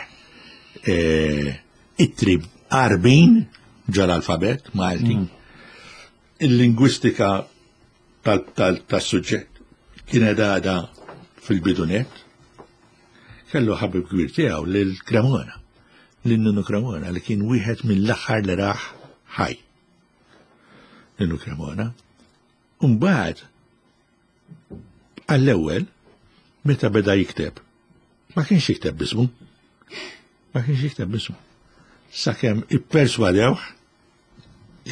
eh, ittri Għarbin ġol-alfabet Malti. Il-lingwistika tal-suġġett kienet għada fil-bidu nett. Kellu ħabib kbir tiegħu lil Cremona, lil Ninu Cremona li kien wieħed mill-aħħar li raħ ħaj. Ninu Cremona. Umbagħad għall-ewwel meta beda jikteb ma kienx jikteb bismu. Ma kienx jikteb bismu. Sakemm ipperswadewh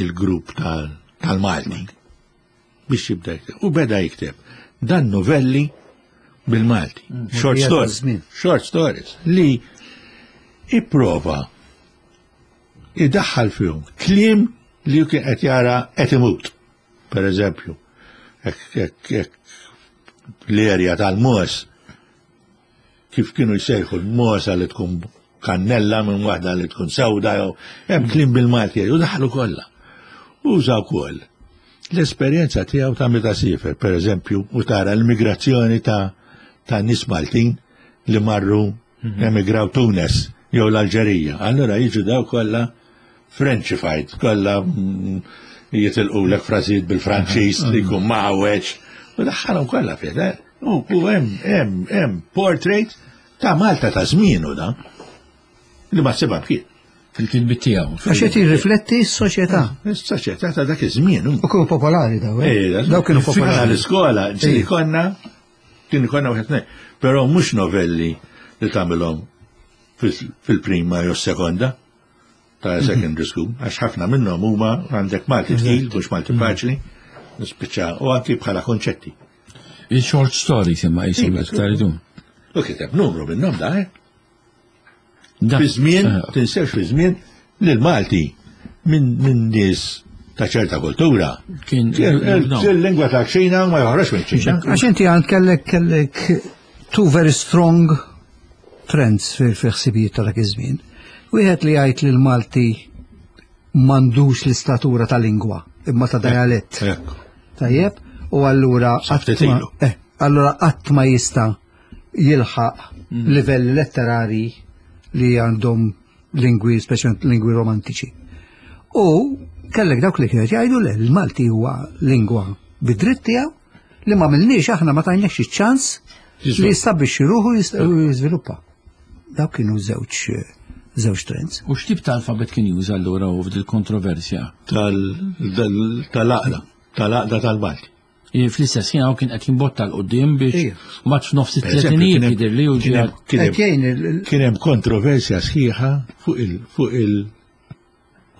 il-grupp tal- tal-Malti biex jibda jikteb. U beda jikteb dan novelli bil-Malti. Short Mogħdija stories. taż-żmien. Short stories. Li ipprova idaħħal fihom kliem li kien qed jara qed imut. Per eżempju, hekk hekk hekk l-erja tal-mos kif kienu jsejħu l-mosa li tkun kannella minn waħda li tkun sewda jew hemm kliem bil-Malti u daħlu kollha. Uża wkoll l-esperjenza tiegħu ta' meta siefer, per eżempju, u tara l-migrazzjoni ta' ta' nies Maltin li marru emigraw Tunes jew l-Alġerija. Allura jiġu daw kollha Frenchified, kollha mm, jitilqu lek frażijiet bil-Franċiż li jkun mawweġ. U daħħalhom kollha fih. eh? U u hemm hemm hemm portrait ta' Malta ta' żmienu da li ma ssibha kien. Fil-kitbit tiegħu. Għax qed jirrifletti s-soċjetà. Is-soċjetà ta' dak iż-żmien. U kienu popolari daw, eh? Daw kienu popolari. L-iskola, ġieli konna, kien konna wieħed nej. Però mhux novelli li tagħmilhom fil- fil-prima jew sekonda ta' secondary school, għax ħafna minnhom huma għandek Malti tqil, mhux Malti faċli, nispiċċa u anki bħala konċetti. Il-short stories imma jisim taridu. U kiteb numru minnhom da, eh? Da- Fi żmien, Eh, tinsewx fi żmien li l-Malti minn min nies ta' ċerta kultura. Kien- Il-lingwa ta' ċina ma joħroġ minn ċina. Għax inti għand kellek kellek two very strong trends fi fi ħsibijiet ta' dak iż-żmien. Wieħed li jgħid li l-Malti m'għandux l-istatura ta' lingwa, imma ta' dialett. Ekku. Tajjeb, u allura qatt Ftit ma- ilu. eh, allura qatt ma jista' jilħaq livelli letterari li għandhom lingwi, speċjalment lingwi romantiċi. U kellek dawk li kienet jgħidu le l-Malti huwa lingwa bid-dritt tiegħu li ma milniex aħna ma tajniex iċ-ċans li jistabbilixxi ruħu jist- u jiżviluppa. Dawk kienu żewġ żewġ trends. U x'tip ta' alfabet kien juża allura u f'dil kontroversja? Tal- Tal-aqda, tal-aqda tal-Malti. I Fl-istess ħin hawn kien qed jimbotta 'l quddiem biex Ija. mbagħad f'nofs Per eżempju, it-tletinijiet kien hemm- jidher li u kien hemm- ġie kien hemm- Qed jgħin il- Kien hemm kontroversja sħiħa fuq il fuq il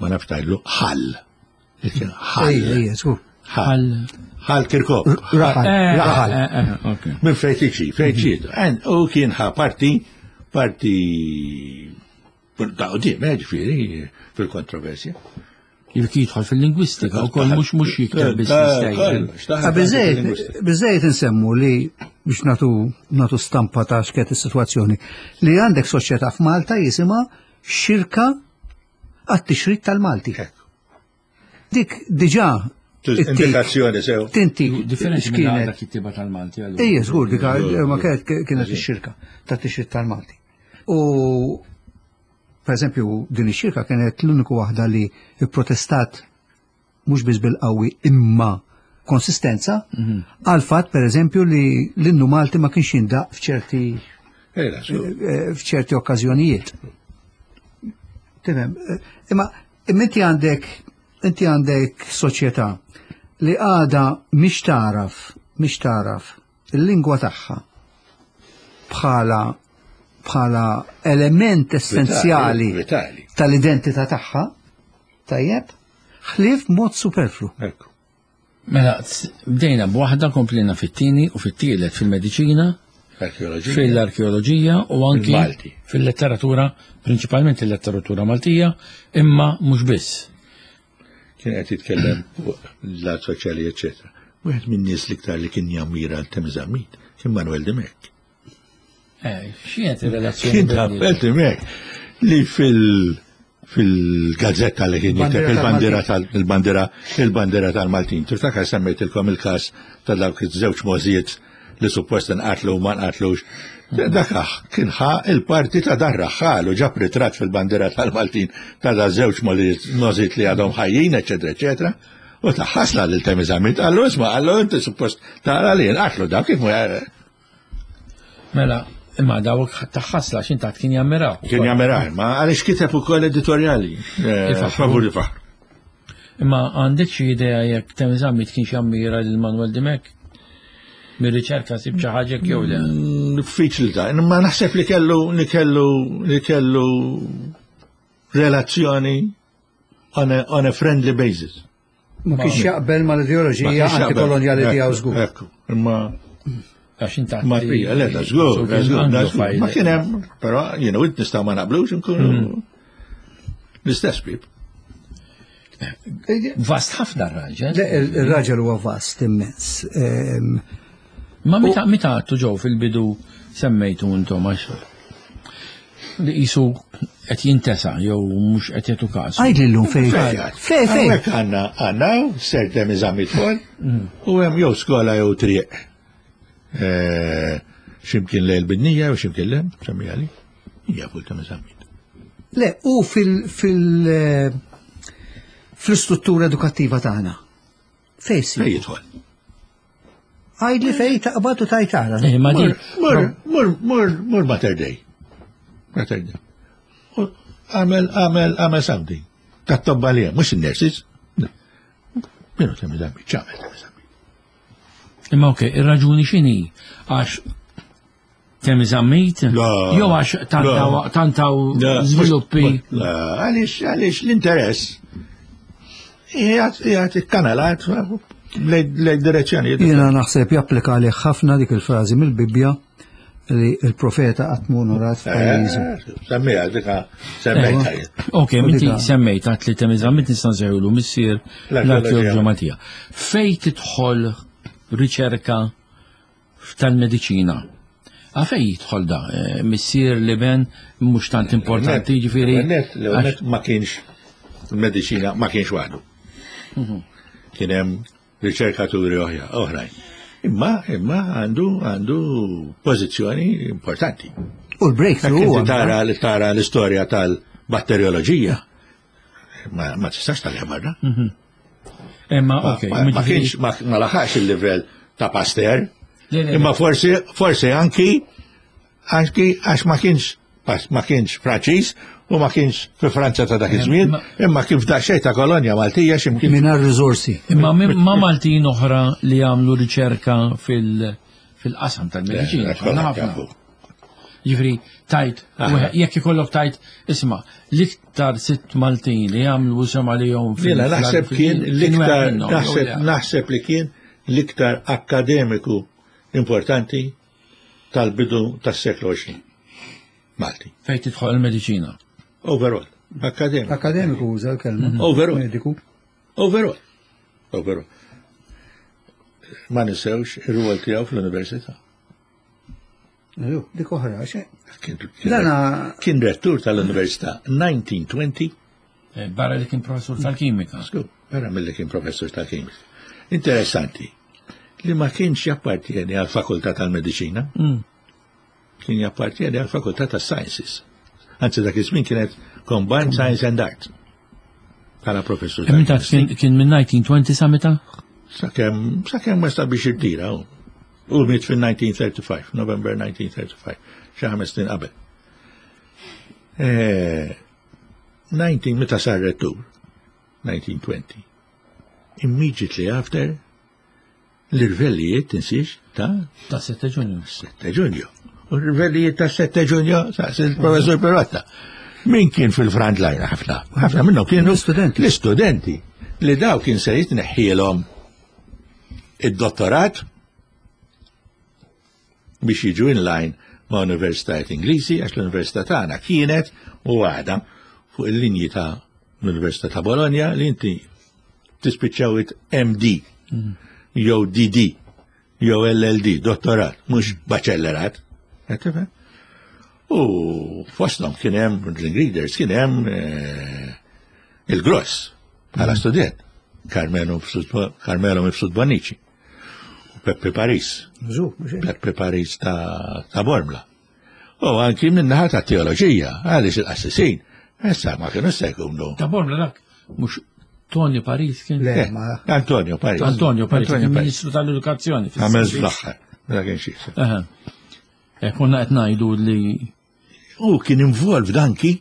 ma nafx tgħidlu ħall. Kien Ħall. Ejja, ejja, żgur. Ħall. Ħal Kirkop. Raħal, Eh, raħal. eh, eh, ok. Minn fejn tiġi, fejn ġiet. U kien ħa parti parti ta' qudiem, eh, ġifieri fil-kontroversja. Jekk jidħol fil-lingwistika u koll mhux mhux jikteb biss l-istejjer. Biżejjed insemmu li biex natu natu stampa ta' x'kienet is-sitwazzjoni li għandek soċjetà f'Malta jisimha Xirka għat-Tixrid tal-Malti. Dik diġà indikazzjoni sew. Tinti. Differenti minn dak kittiba tal-Malti. Ejja, żgur, dik ma kienet kienet ix-xirka tat-tixrid tal-Malti. U per eżempju, din ix-xirka kienet l-uniku waħda li protestat mhux biss bil-qawwi imma konsistenza għal fatt per eżempju li l-innu Malti ma kienx jindaq f'ċerti f'ċerti okkażjonijiet. Tifhem, imma imma inti għandek inti għandek soċjetà li għada mhix taraf, mhix taraf il-lingwa tagħha bħala bħala element essenzjali tal-identità tagħha, tajjeb, ħlief mod superflu. Mela, bdejna b'waħda, komplejna fit-tieni u fit-tielet fil-mediċina, fil-arkeoloġija u anki fil-letteratura, prinċipalment il-letteratura Maltija, imma mhux biss. Kien qed jitkellem fuq l-lat soċjali, eċċetera. Wieħed min-nies l-iktar li kien jammira l-Temi Zammit kien Manuel Dimech. Eh, x'kienet ir-relazzjoni? Kien Manuel Dimech li fil- fil-gazzetta li kien jikteb il-bandira tal-bandira il-bandira tal-Maltin. Tiftakar semmejtilkom il-każ ta' dawk iż-żewġ możijiet li suppost nqatlu u ma nqatlux. Dak kien ħa il-parti ta' dar raħħal u ġab ritratt fil-bandira tal-Maltin ta' da żewġ możijiet li għadhom ħajjin, eċetera, eċetera. U ta' ħasla lil Temi Zammit, qallu isma' qallu inti suppost tara li nqatlu dak kif Mela, imma dawk taħħasla x'int kien jammiraw. Kien jammiraw, ma għaliex kiteb ukoll editorjali. Favur ifaħru. Imma għandek xi idea jekk Temi Zammit kienx jammira lil Manuel Dimech? Mir-riċerka sib xi ħaġa jew le? Diffiċli ta' imma naħseb li kellu li kellu li kellu relazzjoni on a, on a friendly basis. Ma kienx jaqbel mal-ideoloġija antikolonjali tiegħu żgur. Ekku, imma għax inta ma fija, le, da żgur, da żgur, da żgur. Ma kien hemm, però jiena u nistgħu ma naqblux nkunu l-istess bib. Vast ħafna r-raġel. Il-raġel huwa vast immens. Ma meta meta għattu ġew fil-bidu semmejtu intom għax li qisu qed jintesa jew mhux qed jagħtu każ. Għidli llum fejn. Fejn fejn. Hawnhekk għandna għandna Sir Temi Zammit Paul u hemm jew skola jew triq. X'imkien lejl bidnija u x'imkien lem, semmija li. Hija fuq Temi Zammit. Le, u fil fil fl-istruttura edukattiva tagħna. Fejn Fejn jidħol? Għidli fej taqbad u tajtara. Ma di. Mur, mur, mur, mur Mater Dei. Mater Dei. Għamel, għamel, għamel something. Tat-tobba li hemm, mhux in-nurses. Minu Temi Zammit, ċamel Temi Zammit. Imma ok, ir-raġuni x'inhi? Għax Temi Zammit? Jew għax tantaw żviluppi. Għaliex, għaliex l-interess. Qiegħed ikkanalat lejn direzzjoni. Jiena naħseb japplika għalih ħafna dik il-frażi mill-Bibbja li il-profeta qatt mhu onorat f'pajjiżu. Semmejha dika semmejtha. Ok, minti semmejt għat li Temi Zammit nista' nsejħulu missier l-arkeoloġija Maltija. Fej tidħol riċerka tal-mediċina? Għafej jidħol da, missier li ben mhux tant importanti, ġifieri. Net ma kienx il-mediċina ma kienx waħdu. Kien hemm riċerkaturi oħrajn. Imma, imma għandu għandu pożizzjoni importanti. U l-breakthrough Inti tara tara l-istorja tal-batterioloġija. Ma, ma tistax tal barra. Imma, ok. Ma kienx ma laħax il-livell ta' Pasteur. Imma forsi forsi anki anki għax ma kienx ma kienx Franċiż u ma kienx fi Franza ta' dak iż-żmien, imma kif daqsxejn ta' kolonja Maltija x'imkien. Mingħajr riżorsi. Imma ma Maltin oħra li għamlu riċerka fil-qasam tal-mediċina. Ħafna. Ġifieri tajt, jekk ikollok tajt, isma' l-iktar sitt Maltin li għamlu sema li jom fil Naħseb kien l-iktar naħseb naħseb li kien l-iktar akademiku importanti tal-bidu tas-seklu għoxrin. Malti. Fejn tidħol il-mediċina. Overall, akademiku. Akademiku uża l-kelma. Overall. Mediku. Overall. Overall. Ma ninsewx ir-rwol tiegħu fl-università. Ju, dik oħra, xe. Kien, kien, Dana kien rettur tal-università elf disa' mija u għoxrin. Eh, Barra li kien professur tal-kimika. Sku, vera mill-li kien professur tal-kimika. Interessanti, li ma kienx jappartieni għal fakultà tal-mediċina, Mm. kien jappartieni għal fakultà tas-sciences. Anzi, dak iż-żmien kienet Combined Science and Art. Bħala professur Meta tal-chemistry. kien kien minn elf disa' mija u għoxrin sa meta? Sakemm sakemm wasal biex irtira. U U miet fil-elf disa' mija u tletin, November elf disa' mija u tletin, xi ħames snin qabel. Eh, disgħin meta sar rettur, elf disa' mija u għoxrin, immediately after l-irvellijiet, tinsiex, ta' Ta' sette Ġunju. sette Ġunju. U l-irvellijiet ta' sette Ġunju, sa' il-professor Pirotta. Min kien fil-front line ħafna? Ħafna minnhom kienu L-istudenti. L-istudenti li daw kien se jitneħħielhom id-dottorat biex jiġu in line ma' universitajiet Ingliżi, għax l-Università tagħna kienet u għadha fuq il-linji ta' l-Università ta' Bologna li inti tispiċċaw it M D jew D D jew L L D, dottorat, mhux baċellerat. Qed tifhem? U fosthom kien hemm ringleaders, kien hemm eh, il-Gross bħala student, Carmelo Mifsud- Carmelo Mifsud Bonnici, u Peppe Paris, Żu, mhux hekk. Peppe Paris ta', ta Bormla. U anki minnaħa ta' teoloġija, għaliex il-qassisin, issa ma kienu se jkunu. Ta' Bormla dak, mhux Tony Paris kien? Le, Eh, ma Antonio Paris. Antonio Paris, Antonio kien Paris. Ministru tal-Edukazzjoni. Għamel fl-aħħar, mela kien xi. Aha. Eh, Konna qed ngħidu li U kien involved anki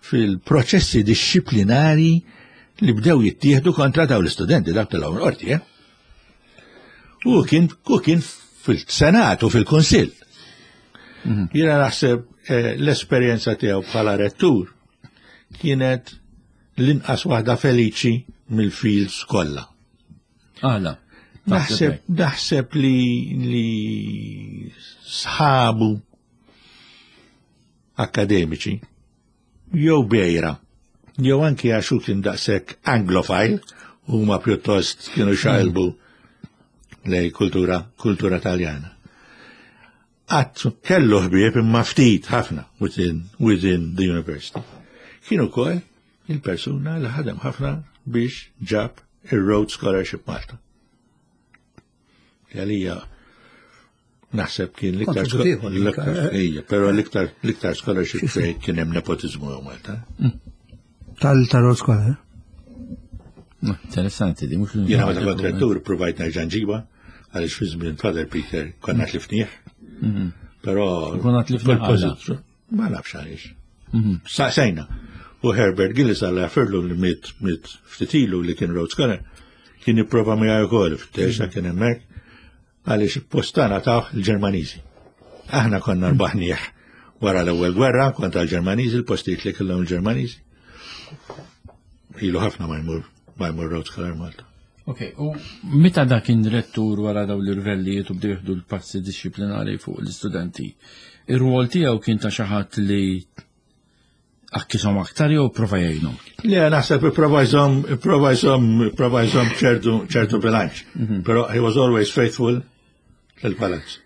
fil-proċessi disciplinari li bdew jittieħdu kontra daw l-istudenti dak tal qorti, eh? U kien, u kien fil-Senat u fil-Kunsill. Jiena naħseb eh, l-esperjenza tiegħu bħala rettur kienet l-inqas waħda feliċi mill-fields kollha. Għala. Naħseb, naħseb li, li sħabu akademiċi jew bejra, jew anki għax hu kien daqshekk anglofile, huma pjuttost kienu xaqilbu lej kultura, kultura taljana. Għat kellu ħbieb imma ftit ħafna within, within the university. Kien ukoll il-persuna li ħadem ħafna biex ġab il-Rhodes Scholarship Malta. Għalija naħseb kien l-iktar Kontribut ieħor, l-iktar eh. ija, però l-iktar l-iktar scholarship fejn kien hemm nepotizmu ġo Malta. Tal tal skola. Interessanti di, mhux Jiena meta kont rettur provajt nerġa' nġibha għaliex fi żmien Father Peter konna tlifnieh. Però Konna tlifnieh fil-pożizzjoni- Ma nafx għaliex. Saqsejna. U Herbert Gillis għalla jafirlu li miet miet ftit ilu li kien Rhodes Scholar kien jipprova miegħi wkoll f'texa kien hemmhekk għaliex postana taħ il-Ġermaniżi. Aħna konna rbaħnieh wara l-ewwel gwerra kontra l-Ġermaniżi, il-postijiet li kellhom il-Ġermaniżi. Ilu ħafna ma jmur ma jmur Rhodes Scholar Malta. Ok, u meta dak kien rettur wara daw l-irvellijiet u bdew jieħdu l-passi disciplinari fuq l-istudenti, ir-rwol tiegħu kien ta' xi ħadd li akkisom aktar jew prova jgħinhom? Le, naħseb ipprova jżomm, ipprova jżomm, ipprova jżomm ċertu, ċertu bilanċ. Però he was always faithful lill-palazz.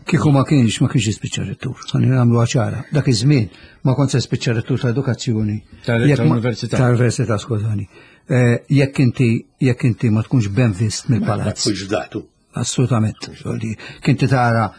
Kieku ma kienx, ma kienx jispiċċa rettur. Ħalli nagħmlu ċara. Dak iż-żmien ma kont se spiċċa rettur ta' edukazzjoni. Tal- Jekk ma- tal-università. Tal-università, skużani. Eh, Jekk inti jekk inti ma tkunx ben vist Ma mill-palazz. tkunx datu. Assolutament. Soldi. Kien ti tara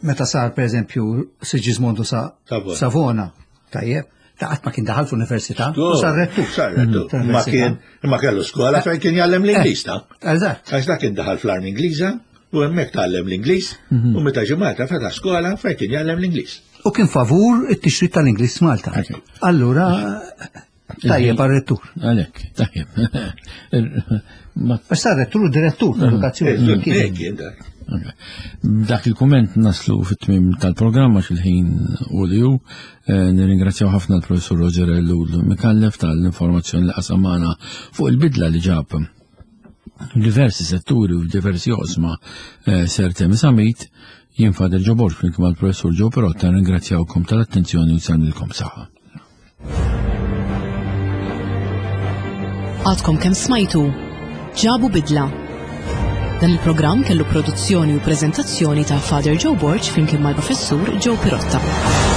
meta sar per eżempju Sigismondo sa Savona. Savona. Tajjeb, ta' qatt ma kien daħal fl-università u sar rettur. Sar rettur. Mm, Ma kien, ma kellu skola fejn kien jgħallem l-Ingliż ta' Eżatt. Għax dak kien daħal fl-armi Ingliża u hemmhekk tgħallem l-Ingliż u meta ġie Malta fetaħ skola fejn kien jgħallem l-Ingliż. U kien favur it-tixrid tal-Ingliż Malta. Allura, tajjeb għal-rettur. Għalek, tajjeb. Ma Għax sar rettur u direttur tal-edukazzjoni. Kien. Hekk kien dak. Ok. Dak il-kumment naslu fit-tmim tal-programma xil-ħin u li hu. Eh, Nirringrazzjaw ħafna l-professur Roger Ellul Mikallef tal-informazzjoni li qasam magħna fuq il-bidla li ġab diversi setturi u diversi oqsma eh, Sir Temi Zammit. Jien Father Joe Borg flimkien mal-Professur Joe Perotta nirringrazzjawkom tal-attenzjoni u nsellmilkom saħħa. Għadkom kemm smajtu Ġabu Bidla. Dan il-programm kellu produzzjoni u preżentazzjoni ta' Father Joe Borg flimkien mal-Professur Joe Pirotta.